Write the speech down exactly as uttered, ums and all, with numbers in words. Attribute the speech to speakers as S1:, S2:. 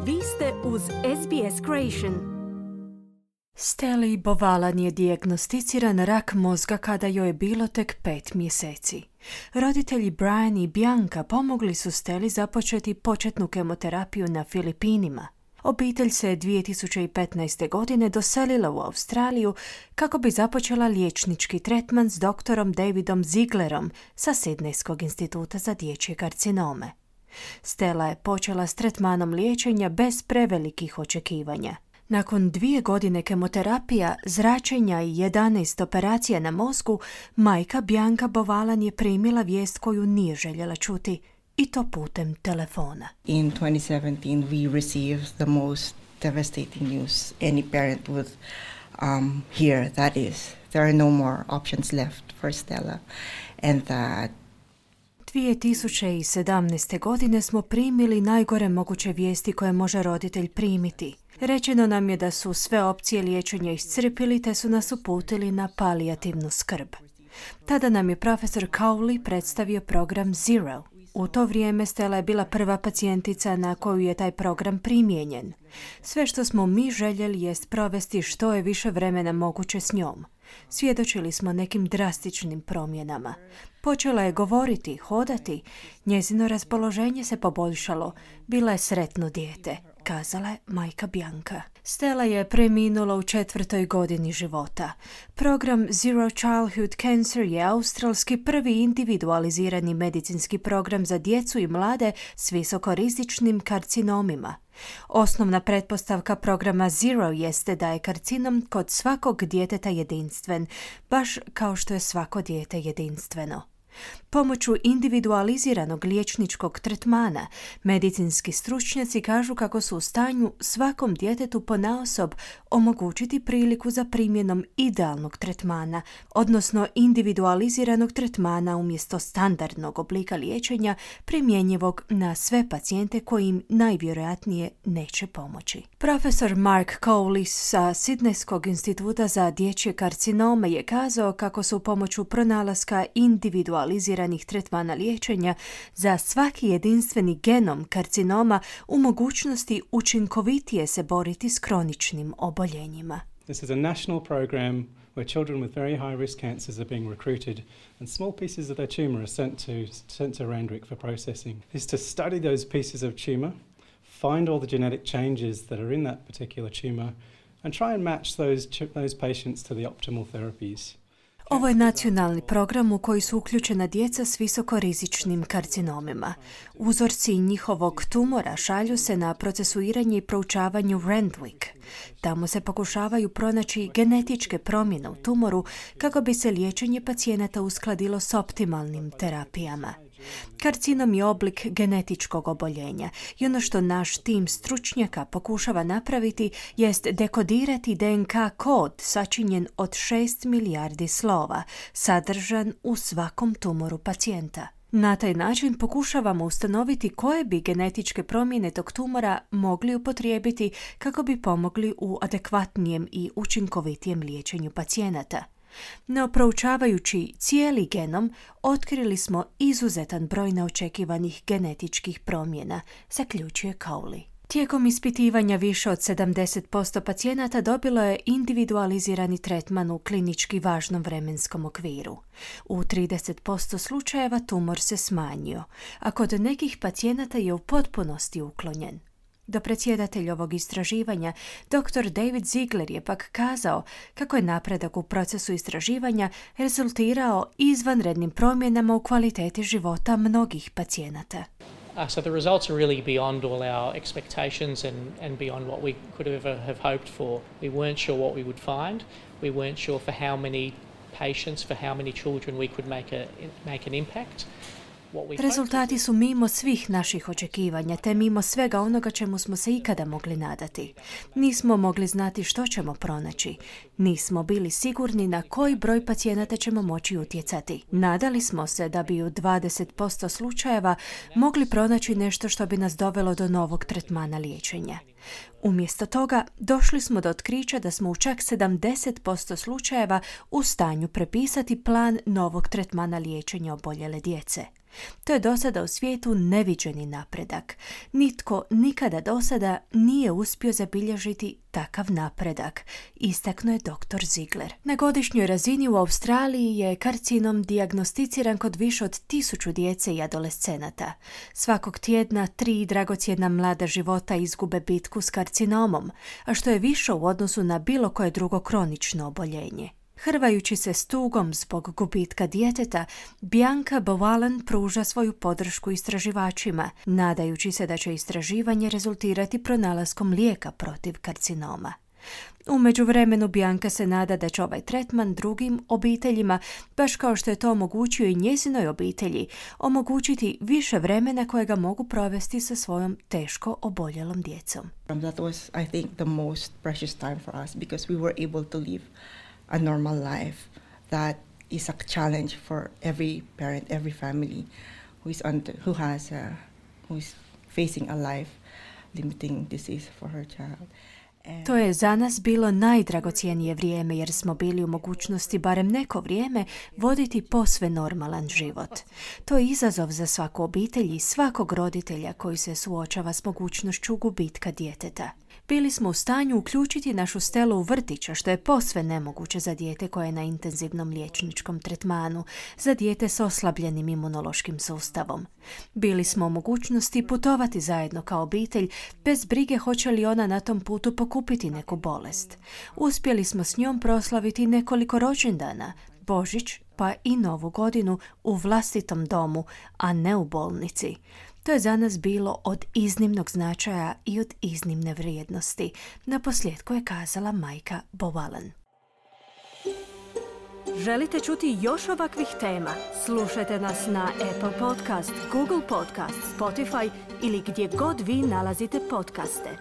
S1: Vi ste uz S B S Creation.
S2: Steli Bovalan je dijagnosticiran rak mozga kada joj je bilo tek pet mjeseci. Roditelji Brian i Bianca pomogli su Steli započeti početnu kemoterapiju na Filipinima. Obitelj se dvije tisuće petnaeste. godine doselila u Australiju kako bi započela liječnički tretman s doktorom Davidom Zieglerom sa Sidnejskog instituta za dječje karcinome. Stella je počela s tretmanom liječenja bez prevelikih očekivanja. Nakon dvije godine kemoterapija, zračenja i jedanaest operacija na mozgu, majka Bianca Bovalan je primila vijest koju nije željela čuti, i to putem telefona.
S3: In twenty seventeen we received the most devastating news any parent would um, hear, that is, there are no more options left for Stella, and that
S2: dvije tisuće sedamnaeste. godine smo primili najgore moguće vijesti koje može roditelj primiti. Rečeno nam je da su sve opcije liječenja iscrpili te su nas uputili na palijativnu skrb. Tada nam je profesor Cowley predstavio program Zero. U to vrijeme Stella je bila prva pacijentica na koju je taj program primijenjen. Sve što smo mi željeli jest provesti što je više vremena moguće s njom. Svjedočili smo nekim drastičnim promjenama. Počela je govoriti, hodati. Njezino raspoloženje se poboljšalo. Bila je sretno dijete, kazala je majka Bianca. Stella je preminula u četvrtoj godini života. Program Zero Childhood Cancer je australski prvi individualizirani medicinski program za djecu i mlade s visokorizičnim karcinomima. Osnovna pretpostavka programa Zero jeste da je karcinom kod svakog djeteta jedinstven, baš kao što je svako dijete jedinstveno. Pomoću individualiziranog liječničkog tretmana, medicinski stručnjaci kažu kako su u stanju svakom djetetu ponaosob omogućiti priliku za primjenom idealnog tretmana, odnosno individualiziranog tretmana umjesto standardnog oblika liječenja primjenjivog na sve pacijente koji im najvjerojatnije neće pomoći. Profesor Mark Cowley sa Sidnejskog instituta za dječje karcinome je kazao kako su pomoću pronalaska individualiziranih tretmana liječenja za svaki jedinstveni genom karcinoma u mogućnosti učinkovitije se boriti s kroničnim oboljenjima.
S4: This is a national program where children with very high risk cancers are being recruited and small pieces of their tumor are sent to, sent to Randwick for processing. This is to study those pieces of tumor, find all the genetic changes that are in that particular tumor and try and match those, those patients to the optimal therapies.
S2: Ovo je nacionalni program u koji su uključena djeca s visokorizičnim karcinomima. Uzorci njihovog tumora šalju se na procesuiranje i proučavanje u Randwick. Tamo se pokušavaju pronaći genetičke promjene u tumoru kako bi se liječenje pacijenata uskladilo s optimalnim terapijama. Karcinom je oblik genetičkog oboljenja i ono što naš tim stručnjaka pokušava napraviti jest dekodirati D N K kod sačinjen od šest milijardi slova, sadržan u svakom tumoru pacijenta. Na taj način pokušavamo ustanoviti koje bi genetičke promjene tog tumora mogli upotrijebiti kako bi pomogli u adekvatnijem i učinkovitijem liječenju pacijenata. No, proučavajući cijeli genom, otkrili smo izuzetan broj neočekivanih genetičkih promjena, zaključuje Cowley. Tijekom ispitivanja više od sedamdeset posto pacijenata dobilo je individualizirani tretman u klinički važnom vremenskom okviru. U trideset posto slučajeva tumor se smanjio, a kod nekih pacijenata je u potpunosti uklonjen. Dopredsjedatelj ovog istraživanja, doktor David Ziegler, je pak kazao kako je napredak u procesu istraživanja rezultirao izvanrednim promjenama u kvaliteti života mnogih pacijenata.
S5: Uh, so the results are really beyond all our expectations and, and beyond what we could ever have hoped for. We weren't sure what we would find. We weren't sure for how many patients, for how many children we could make, a, make an impact.
S2: Rezultati su mimo svih naših očekivanja, te mimo svega onoga čemu smo se ikada mogli nadati. Nismo mogli znati što ćemo pronaći. Nismo bili sigurni na koji broj pacijenata ćemo moći utjecati. Nadali smo se da bi u dvadeset posto slučajeva mogli pronaći nešto što bi nas dovelo do novog tretmana liječenja. Umjesto toga, došli smo do otkrića da smo u čak sedamdeset posto slučajeva u stanju prepisati plan novog tretmana liječenja oboljele djece. To je do sada u svijetu neviđeni napredak. Nitko nikada do sada nije uspio zabilježiti takav napredak, istaknuo je doktor Ziegler. Na godišnjoj razini u Australiji je karcinom dijagnosticiran kod više od tisuću djece i adolescenata. Svakog tjedna tri dragocjena mlada života izgube bitku s karcinomom, a što je više u odnosu na bilo koje drugo kronično oboljenje. Hrvajući se s tugom zbog gubitka djeteta, Bianca Bowalan pruža svoju podršku istraživačima, nadajući se da će istraživanje rezultirati pronalaskom lijeka protiv karcinoma. U međuvremenu Bianca se nada da će ovaj tretman drugim obiteljima, baš kao što je to omogućio i njezinoj obitelji, omogućiti više vremena kojega mogu provesti sa svojom teško oboljelom djecom.
S3: That was, I think, the most precious time for us because we were able to live a normal life that is a challenge for every parent, every family who is under, who has a, who is facing a life limiting disease for her child. And
S2: to je za nas bilo najdragocjenije vrijeme jer smo bili u mogućnosti barem neko vrijeme voditi posve normalan život. To je izazov za svaku obitelj i svakog roditelja koji se suočava s mogućnošću gubitka djeteta. Bili smo u stanju uključiti našu Stelu u vrtića, što je posve nemoguće za dijete koje je na intenzivnom liječničkom tretmanu, za dijete s oslabljenim imunološkim sustavom. Bili smo u mogućnosti putovati zajedno kao obitelj, bez brige hoće li ona na tom putu pokupiti neku bolest. Uspjeli smo s njom proslaviti nekoliko rođendana, Božić pa i Novu godinu u vlastitom domu, a ne u bolnici. To je za nas bilo od iznimnog značaja i od iznimne vrijednosti, naposljetku je kazala majka Bowalan.
S1: Želite čuti još ovakvih tema? Slušajte nas na Apple Podcast, Google Podcast, Spotify ili gdje god vi nalazite podcaste.